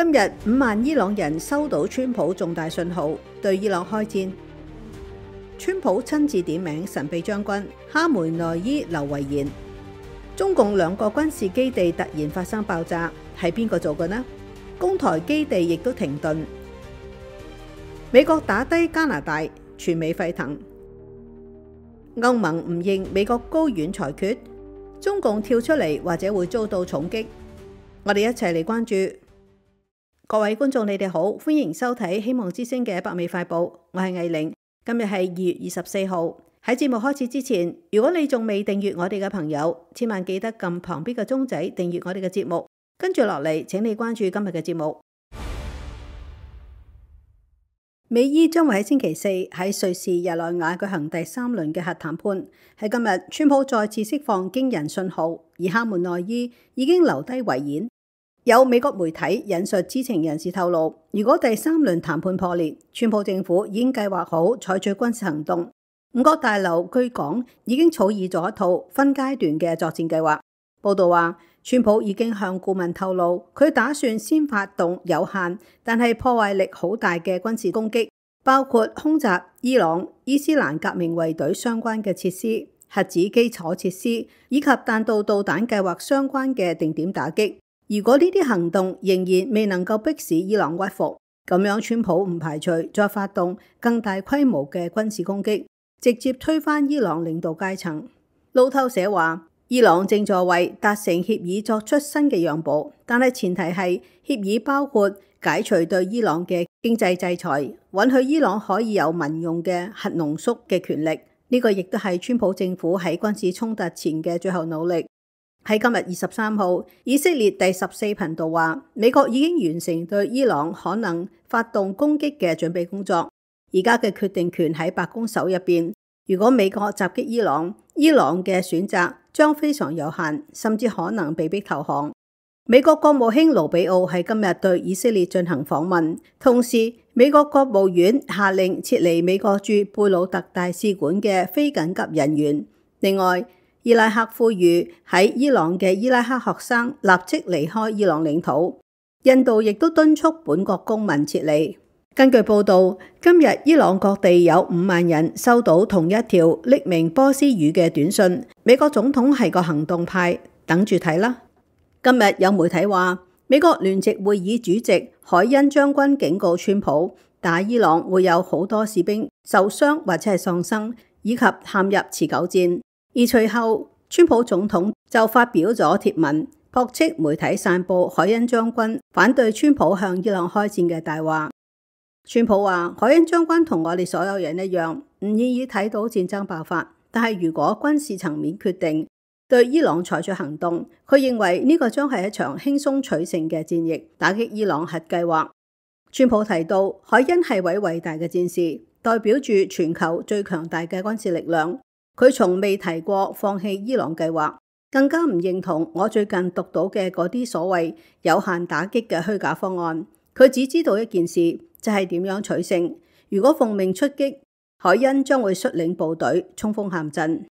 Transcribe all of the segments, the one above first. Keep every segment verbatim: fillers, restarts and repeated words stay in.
今日五萬伊朗人收到川普重大信號，對伊朗開戰。川普親自點名神秘將軍哈梅內伊留遺言。中共兩個軍事基地突然發生爆炸，係邊個做嘅呢？攻台基地亦都停頓。美國打低加拿大，全美沸騰。歐盟唔認美國高院裁決，中共跳出嚟或者會遭到重擊。我哋一齊嚟關注。各位觀眾，你哋好，歡迎收睇希望之聲嘅北美快報，我係藝玲。今日係二月二十四號。喺節目開始之前，如果你仲未訂閱我哋嘅朋友，千萬記得撳旁邊嘅鐘仔訂閱我哋嘅節目。跟住落嚟，請你關注今日嘅節目。美伊將會喺星期四喺瑞士日內瓦舉行第三輪嘅核談判。喺今日，川普再次釋放驚人信號，而哈梅內伊已經留低遺言。有美國媒體引述知情人士透露，如果第三輪談判破裂，川普政府已經計劃好採取軍事行動。五角大樓據講已經草擬咗一套分階段嘅作戰計劃。報道話，川普已經向顧問透露，佢打算先發動有限但係破壞力好大嘅軍事攻擊，包括空襲伊朗伊斯蘭革命衛隊相關嘅設施、核子基礎設施以及彈道導彈計劃相關嘅定點打擊。如果呢啲行動仍然未能夠迫使伊朗屈服，咁樣川普唔排除再發動更大規模嘅軍事攻擊，直接推翻伊朗領導階層。路透社話，伊朗正在為達成協議作出新嘅讓步，但係前提係協議包括解除對伊朗嘅經濟制裁，允許伊朗可以有民用嘅核濃縮嘅權力。呢個亦都係川普政府喺軍事衝突前嘅最後努力。喺今日二十三號，以色列第十四頻道話，美國已經完成對伊朗可能發動攻擊嘅準備工作，而家嘅決定權喺白宮手入邊。如果美國襲擊伊朗，伊朗嘅選擇將非常有限，甚至可能被逼投降。美國國務卿盧比奧喺今日對以色列進行訪問，同時美國國務院下令撤離美國駐貝魯特大使館嘅非緊急人員。另外，伊拉克呼籲喺伊朗嘅伊拉克學生立即離開伊朗領土。印度亦都敦促本國公民撤離。根據報道，今日伊朗各地有五萬人收到同一條匿名波斯語嘅短信。美國總統係個行動派，等住睇啦。今日有媒體話，美國聯席會議主席海恩將軍警告川普，打伊朗會有好多士兵受傷或者係喪生，以及陷入持久戰。而隨後，川普總統就發表咗貼文，駁斥媒體散佈海恩將軍反對川普向伊朗開戰嘅大話。川普話，海恩將軍同我哋所有人一樣，唔願意睇到戰爭爆發，但係如果軍事層面決定對伊朗採取行動，佢認為呢個將係一場輕鬆取勝嘅戰役，打擊伊朗核計劃。川普提到，海恩係位偉大嘅戰士，代表住全球最強大嘅軍事力量。佢從未提過放棄伊朗計劃，更加唔認同我最近讀到嘅嗰啲所謂有限打擊嘅虛假方案。佢只知道一件事，就係點樣取勝。如果奉命出擊，海恩將會率領部隊衝鋒陷陣。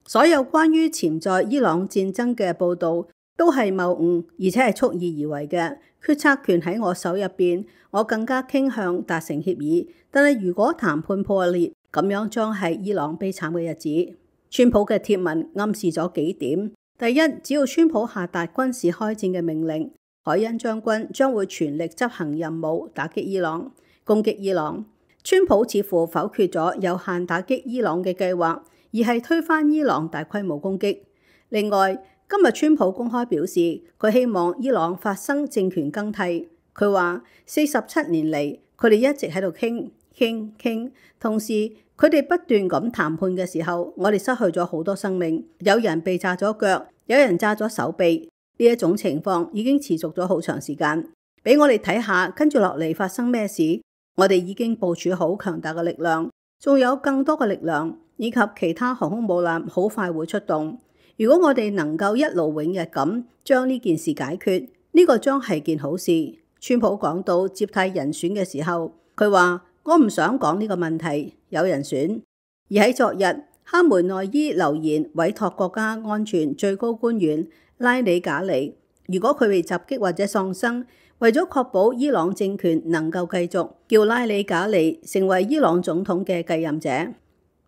所有關於潛在伊朗戰爭嘅報導都係謬誤，而且係蓄意而為嘅。決策權喺我手入邊，我更加傾向達成協議。但係如果談判破裂，咁樣將係伊朗悲慘嘅日子。川普嘅貼文暗示咗幾點：第一，只要川普下達軍事開戰嘅命令，海恩將軍將會全力執行任務，打擊伊朗、攻擊伊朗。川普似乎否決咗有限打擊伊朗嘅計劃，而係推翻伊朗大規模攻擊。另外，今日川普公開表示，佢希望伊朗發生政權更替。佢話四十七年嚟，佢哋一直喺度傾傾傾，同時佢哋不斷咁談判嘅時候，我哋失去咗好多生命，有人被炸咗腳，有人炸咗手臂。呢一種情況已經持續咗好長時間。俾我哋睇下跟住落嚟發生咩事。我哋已經部署好強大嘅力量，仲有更多嘅力量，以及其他航空母艦好快會出動。如果我哋能夠一勞永逸咁將呢件事解決，呢個將係件好事。川普講到接替人選嘅時候，佢話：我唔想講呢個問題，有人選。而喺昨日，哈梅內伊留言委託國家安全最高官員拉里賈尼，如果佢被襲擊或者喪生，為咗確保伊朗政權能夠繼續，叫拉里賈尼成為伊朗總統嘅繼任者。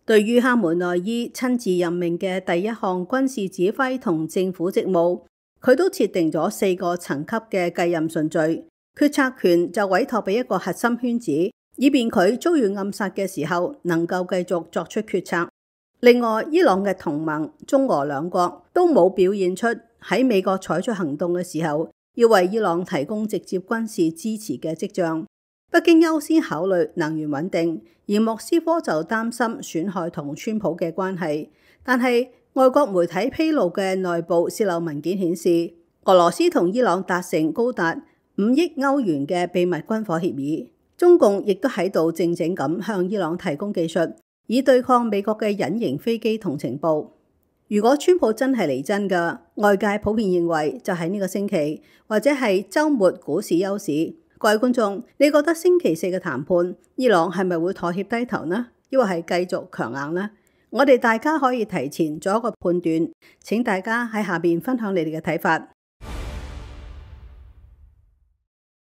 對於哈梅內伊親自任命嘅第一項軍事指揮同政府職務，佢都設定咗四個層級嘅繼任順序，決策權就委託俾一個核心圈子，以便佢遭遇暗殺嘅時候能夠繼續作出決策。另外，伊朗嘅同盟中俄兩國都冇表現出喺美國採取行動嘅時候要為伊朗提供直接軍事支持嘅跡象。北京優先考慮能源穩定，而莫斯科就擔心損害同川普嘅關係。但係外國媒體披露嘅內部洩漏文件顯示，俄羅斯同伊朗達成高達五億歐元嘅秘密軍火協議。中共亦都喺度靜靜咁向伊朗提供技術，以對抗美國嘅隱形飛機同情報。如果川普真係嚟真㗎，外界普遍認為就係呢個星期，或者係週末股市休市。各位觀眾，你覺得星期四嘅談判，伊朗係咪會妥協低頭呢？抑或係繼續強硬呢？我哋大家可以提前做一個判斷，請大家喺下邊分享你哋嘅睇法。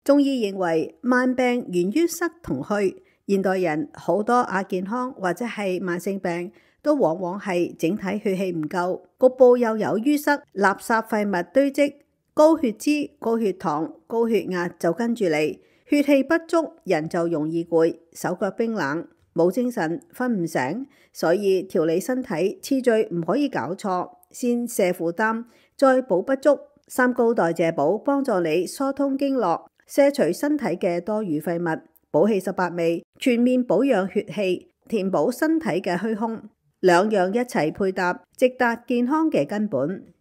中醫認為慢病源於塞同虛，現代人好多亞健康或者係慢性病，都往往係整體血氣唔夠，局部又有淤塞、垃圾廢物堆積。高血脂、高血糖、高血壓就跟住嚟，血氣不足，人就容易攰，手腳冰冷，冇精神，瞓唔醒。所以調理身體次序唔可以搞錯，先瀉負擔，再補不足。三高代謝補幫助你疏通經絡，卸除身體嘅多餘廢物，補氣十八味，全面保養血氣，填補身體嘅虛空，兩樣一齊配搭，直達健康嘅根本。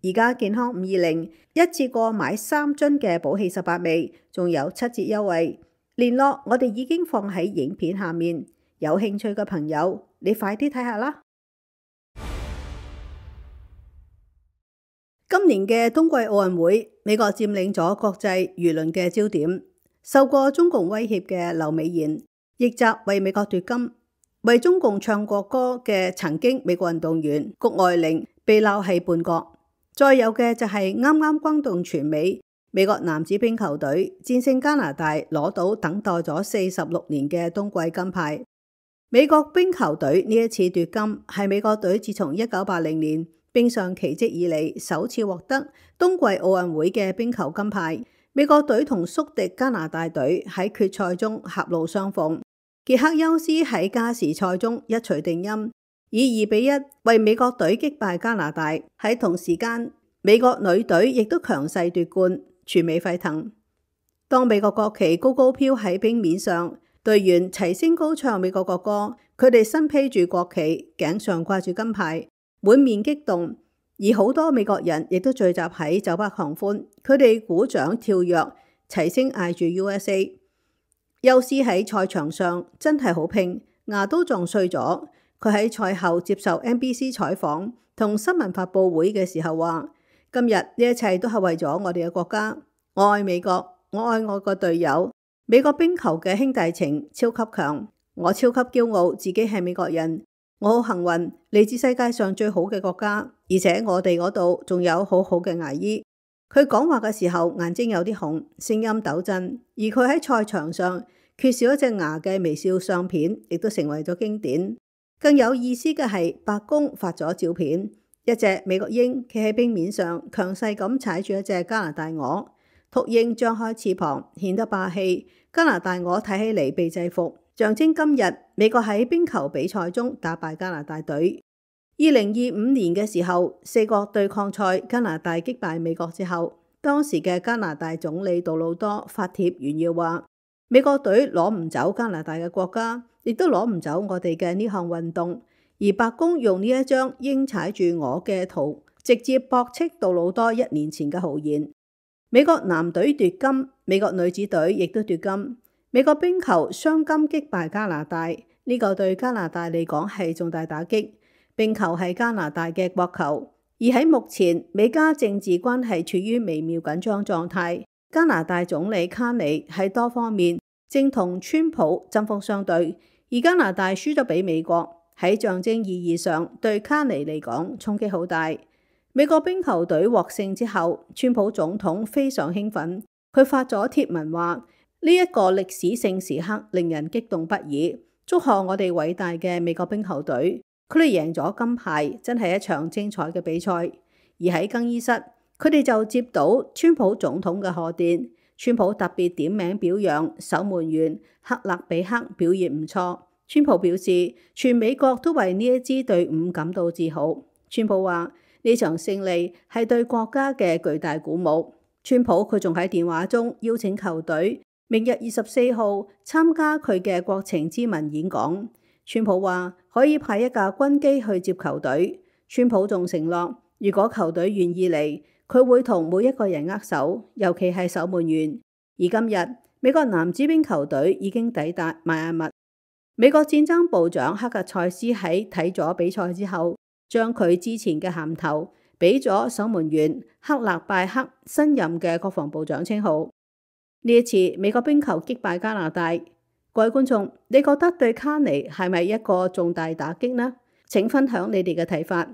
而家健康五二零一次過買三樽嘅補氣十八味，仲有七折優惠。聯絡我哋已經放喺影片下面，有興趣嘅朋友，你快啲睇下啦。今年嘅冬季奧運會，美國佔領咗國際輿論嘅焦點。受過中共威脅嘅劉美賢，逆襲為美國奪金。為中共唱國歌嘅曾經美國運動員谷愛凌被鬧係叛國。再有嘅就係啱啱轟動全美，美國男子冰球隊戰勝加拿大，攞到等待咗四十六年嘅冬季金牌。美國冰球隊呢一次奪金，係美國隊自從一九八零年冰上奇蹟以嚟首次獲得冬季奧運會嘅冰球金牌。美國隊同宿敵加拿大隊喺決賽中狹路相逢，傑克休斯喺加時賽中一錘定音，以二比一為美國隊擊敗加拿大。喺同時間，美國女隊亦都強勢奪冠，全美沸騰。當美國國旗高高飄喺冰面上，隊員齊聲高唱美國國歌，佢哋身披住國旗，頸上掛住金牌，滿面激動。而好多美國人亦都聚集喺酒吧狂歡，佢哋鼓掌跳躍，齊聲嗌住 U S A。休斯喺賽場上真係好拼，牙都撞碎咗。佢喺賽後接受 N B C 採訪同新聞發佈會嘅時候話：今日呢一切都係為咗我哋嘅國家，我愛美國，我愛我個隊友。美國冰球嘅兄弟情超級強，我超級驕傲自己係美國人，我好幸運嚟自世界上最好嘅國家，而且我哋嗰度仲有好好嘅牙醫。佢講話嘅時候眼睛有啲紅，聲音抖震，而佢喺賽場上缺少一隻牙嘅微笑相片，亦都成為咗經典。更有意思嘅係，白宮發咗照片，一隻美國鷹企喺冰面上，強勢咁踩住一隻加拿大鵝。禿鷹張開翅膀，顯得霸氣。加拿大鵝睇起嚟被制服，象徵今日美國喺冰球比賽中打敗加拿大隊。二零二五年嘅時候，四國對抗賽加拿大擊敗美國之後，當時嘅加拿大總理杜魯多發帖炫耀話：美國隊攞唔走加拿大嘅國家，亦都攞唔走我哋嘅呢項運動。而白宮用呢一張鷹踩住鵝嘅圖，直接駁斥杜魯多一年前嘅豪言。美國男隊奪金，美國女子隊亦都奪金。美國冰球雙金擊敗加拿大，呢個對加拿大嚟講係重大打擊。冰球係加拿大嘅國球，而喺目前美加政治關係處於微妙緊張狀態。加拿大總理卡尼喺多方面正同川普針鋒相對，而加拿大輸咗俾美國，喺象徵意義上對卡尼嚟講衝擊好大。美國冰球隊獲勝之後，川普總統非常興奮，佢發咗貼文話：呢一個歷史性時刻令人激動不已，祝賀我哋偉大嘅美國冰球隊，佢哋贏咗金牌，真係一場精彩嘅比賽。而喺更衣室，佢哋就接到川普總統嘅賀電，川普特別點名表揚守門員克勒比克表現唔錯。川普表示，全美國都為呢一支隊伍感到自豪。川普話呢場勝利係對國家嘅巨大鼓舞。川普佢仲喺電話中邀請球隊明日二十四號參加佢嘅國情咨文演講。川普話可以派一架軍機去接球隊。川普仲承諾，如果球隊願意嚟，佢會同每一個人握手，尤其係守門員。而今日美國男子冰球隊已經抵達邁阿密。美國戰爭部長克格塞斯喺睇咗比賽之後，將佢之前嘅銜頭俾咗守門員克勒拜克新任嘅國防部長稱號。呢一次美國冰球擊敗加拿大，各位觀眾，你覺得對卡尼係咪一個重大打擊呢？請分享你哋嘅睇法。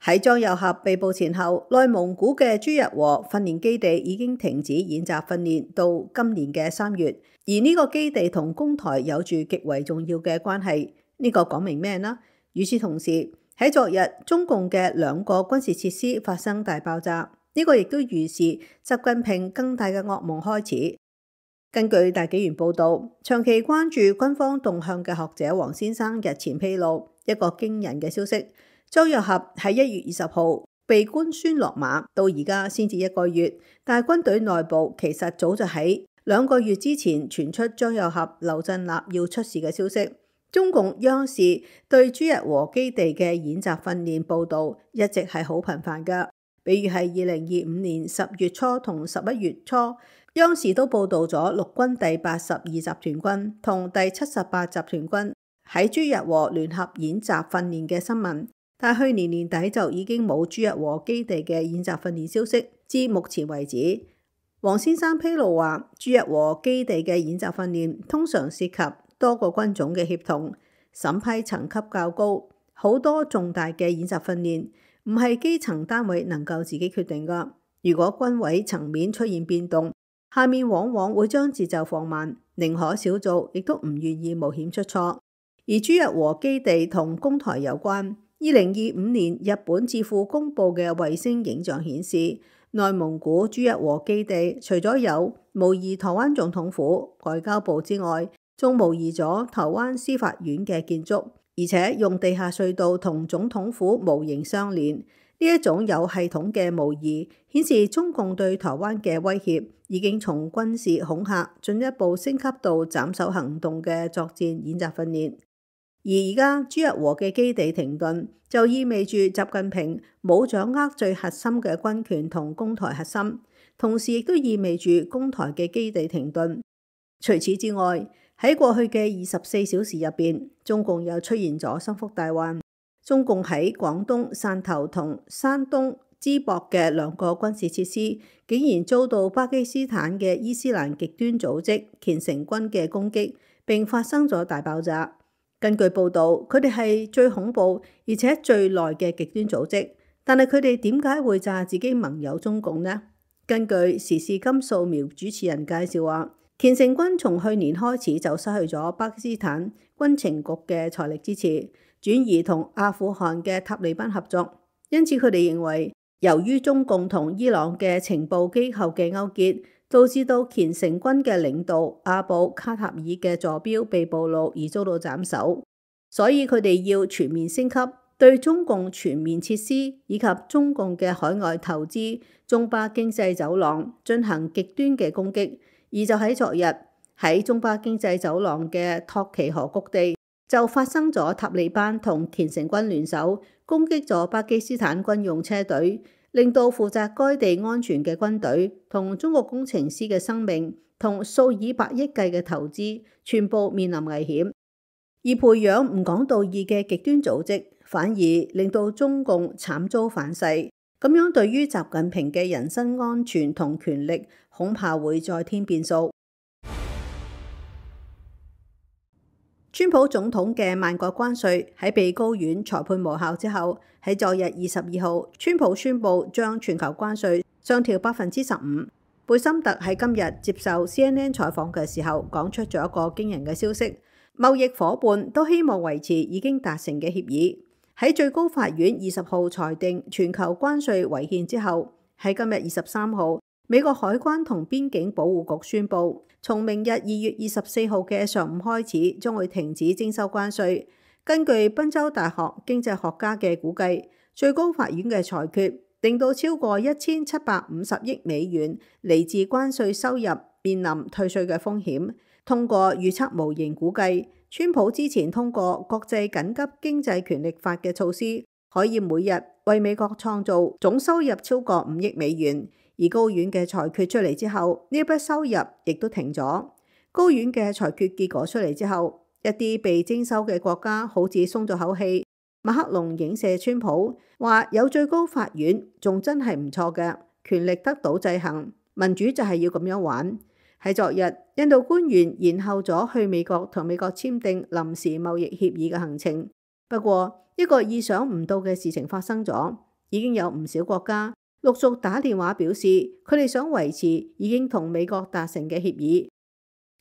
喺張又俠被捕前後，內蒙古嘅朱日和訓練基地已經停止演習訓練到今年嘅三月，而呢個基地同攻台有住極為重要嘅關係。呢、這個講明咩呢？與此同時，喺昨日中共嘅兩個軍事設施發生大爆炸，呢、這個亦都預示習近平更大嘅噩夢開始。根據大紀元報導，長期關注軍方動向嘅學者黃先生日前披露一個驚人嘅消息。張又俠喺一月二十號被官宣落馬，到而家先至一個月，但係軍隊內部其實早就喺兩個月之前傳出張又俠、劉振立要出事嘅消息。中共央視對朱日和基地嘅演習訓練報導一直係好頻繁㗎，比如係二零二五年十月初同十一月初，央視都報導咗陸軍第八十二集團軍同第七十八集團軍喺朱日和聯合演習訓練嘅新聞。但去年年底就已經冇朱日和基地嘅演習訓練消息，至目前為止。黃先生披露話，朱日和基地嘅演習訓練通常涉及多個軍種嘅協同，審批層級較高，好多重大嘅演習訓練唔係基層單位能夠自己決定㗎。如果軍委層面出現變動，下面往往會將節奏放慢，寧可少做，亦都唔願意冒險出錯。而朱日和基地同攻台有關。二零二五年日本智庫公佈嘅衛星影像顯示，內蒙古朱日和基地除咗有模擬台灣總統府、外交部之外，仲模擬咗台灣司法院嘅建築，而且用地下隧道同總統府模型相連。呢一種有系統嘅模擬，顯示中共對台灣嘅威脅已經從軍事恐嚇進一步升級到斬首行動嘅作戰演習訓練。而而家朱日和嘅基地停頓，就意味住習近平冇掌握最核心嘅軍權同攻台核心，同時亦都意味住攻台嘅基地停頓。除此之外，喺過去嘅二十四小時入邊，中共又出現咗心腹大患。中共喺廣東汕頭同山東淄博嘅兩個軍事設施，竟然遭到巴基斯坦嘅伊斯蘭極端組織虔誠軍嘅攻擊，並發生咗大爆炸。根據報導，佢哋係最恐怖而且最耐嘅極端組織，但係佢哋點解會炸自己盟友中共呢？根據時事金素描主持人介紹話，虔誠軍從去年開始就失去咗巴基斯坦軍情局嘅財力支持，轉移同阿富汗嘅塔利班合作，因此佢哋認為，由於中共同伊朗嘅情報機構嘅勾結，導致到虔誠軍嘅領導阿布卡塔爾嘅坐標被暴露而遭到斬首，所以佢哋要全面升級對中共全面設施以及中共嘅海外投資、中巴經濟走廊進行極端嘅攻擊。而就喺昨日，喺中巴經濟走廊嘅托奇河谷地就發生咗塔利班同虔誠軍聯手攻擊咗巴基斯坦軍用車隊，令到負責該地安全嘅軍隊同中國工程師嘅生命同數以百億計嘅投資全部面臨危險。而培養唔講道義嘅極端組織，反而令到中共慘遭反噬。咁樣對於習近平嘅人身安全同權力，恐怕會再添變數。川普總統嘅萬國關稅喺被高院裁判無效之後，喺昨日二十二號，川普宣布將全球關稅上調百分之十五。貝森特喺今日接受 C N N 採訪嘅時候，講出咗一個驚人嘅消息：貿易夥伴都希望維持已經達成嘅協議。喺最高法院二十號裁定全球關稅違憲之後，喺今日二十三號，美國海關同邊境保護局宣布，從明日二月二十四號嘅上午開始，將會停止徵收關稅。根據賓州大學經濟學家嘅估計，最高法院嘅裁決令到超過一千七百五十億美元嚟自關稅收入面臨退稅嘅風險。通過預測模型估計，川普之前通過國際緊急經濟權力法嘅措施，可以每日為美國創造總收入超過五億美元。而高院嘅裁決出嚟之後，呢筆收入亦都停咗。高院嘅裁決結果出嚟之後，一啲被徵收嘅國家好似鬆咗口氣。馬克龍影射川普，話有最高法院仲真係唔錯嘅，權力得到制衡，民主就係要咁樣玩。喺昨日，印度官員延後咗去美國同美國簽訂臨時貿易協議嘅行程。不過，一個意想唔到嘅事情發生咗，已經有唔少國家陸續打電話表示，佢哋想維持已經同美國達成嘅協議。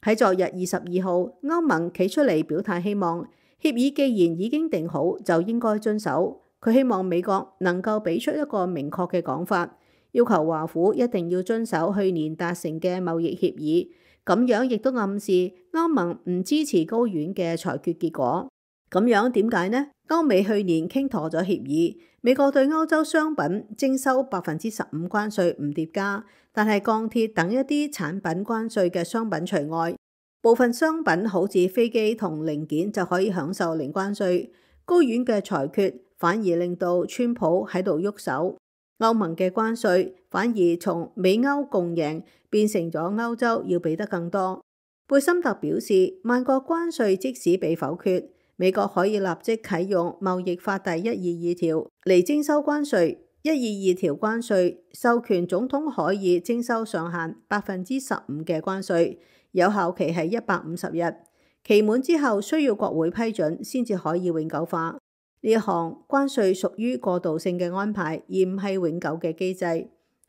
喺昨日二十二號，歐盟企出嚟表態，希望協議既然已經定好，就應該遵守。佢希望美國能夠俾出一個明確嘅講法，要求華府一定要遵守去年達成嘅貿易協議。咁樣亦都暗示歐盟唔支持高院嘅裁決結果。咁樣點解呢？歐美去年傾妥咗協議，美國對歐洲商品徵收百分之十五關稅唔疊加，但係鋼鐵等一啲產品關稅嘅商品除外。部分商品好似飛機同零件就可以享受零關稅。高院嘅裁決反而令到川普喺度喐手，歐盟嘅關稅反而從美歐共贏變成咗歐洲要俾得更多。貝森特表示，萬國關稅即使被否決，美國可以立即啟用貿易法第一二二條嚟徵收關稅。一二二條關稅授權總統可以徵收上限百分之十五嘅關稅，有效期係一百五十日，期滿之後需要國會批准先至可以永久化。呢一項關稅屬於過渡性嘅安排，而唔係永久嘅機制。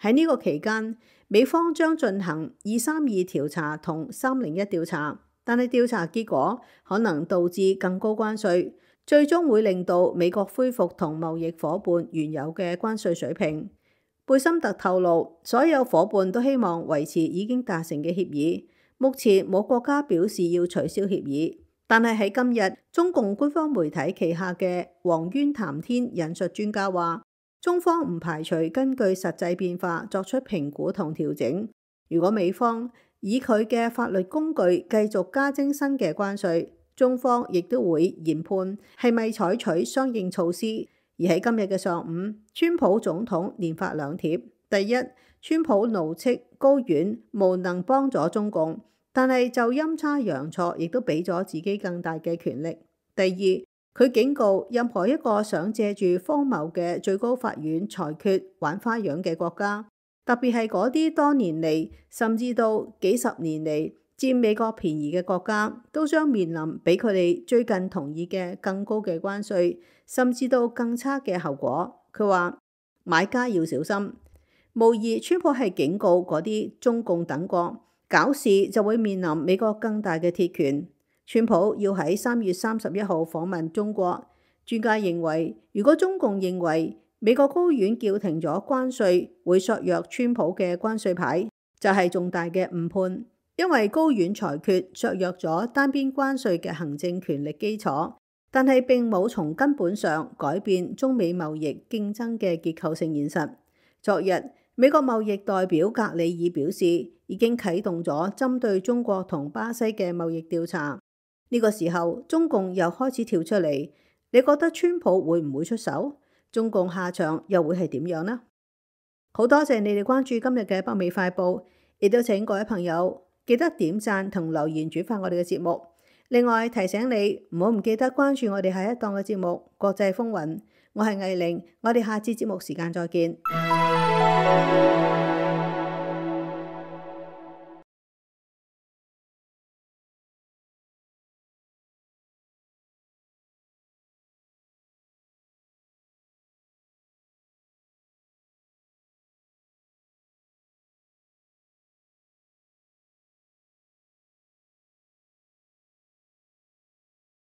喺呢個期間，美方將進行二三二調查同三零一調查。但係調查結果可能導致更高關稅，最終會令到美國恢復同貿易夥伴原有嘅關稅水平。貝森特透露，所有夥伴都希望維持已經達成嘅協議。目前冇國家表示要取消協議，但係喺今日，中共官方媒體旗下嘅黃淵談天引述專家話，中方唔排除根據實際變化作出評估同調整。如果美方以佢嘅法律工具繼續加徵新嘅關稅，中方亦都會研判係咪採取相應措施。而喺今日嘅上午，川普總統連發兩帖：第一，川普怒斥高院無能幫助中共，但係就陰差陽錯亦都俾咗自己更大嘅權力；第二，佢警告任何一個想借住荒謬嘅最高法院裁決玩花樣嘅國家，特別係嗰啲多年嚟甚至到幾十年嚟佔美國便宜嘅國家，都將面臨比佢哋最近同意嘅更高嘅關稅，甚至到更差嘅後果。佢話買家要小心。無疑，川普係警告嗰啲中共等國搞事就會面臨美國更大嘅鐵拳。川普要喺三月三十一號訪問中國。專家認為，如果中共認為美國高院叫停咗關稅會削弱川普嘅關稅牌，就係重大嘅誤判，因為高院裁決削弱咗單邊關稅嘅行政權力基礎，但係並冇從根本上改變中美貿易競爭嘅結構性現實。昨日，美國貿易代表格里爾表示，已經啟動咗針對中國同巴西嘅貿易調查。呢個時候，中共又開始跳出嚟，你覺得川普會唔會出手？中共下場又會係點樣呢？好多謝你哋關注今日嘅北美快報，亦都請各位朋友記得點讚同留言轉發我哋嘅節目。另外提醒你唔好唔記得關注我哋下一檔嘅節目《國際風雲》。我係藝玲，我哋下次節目時間再見。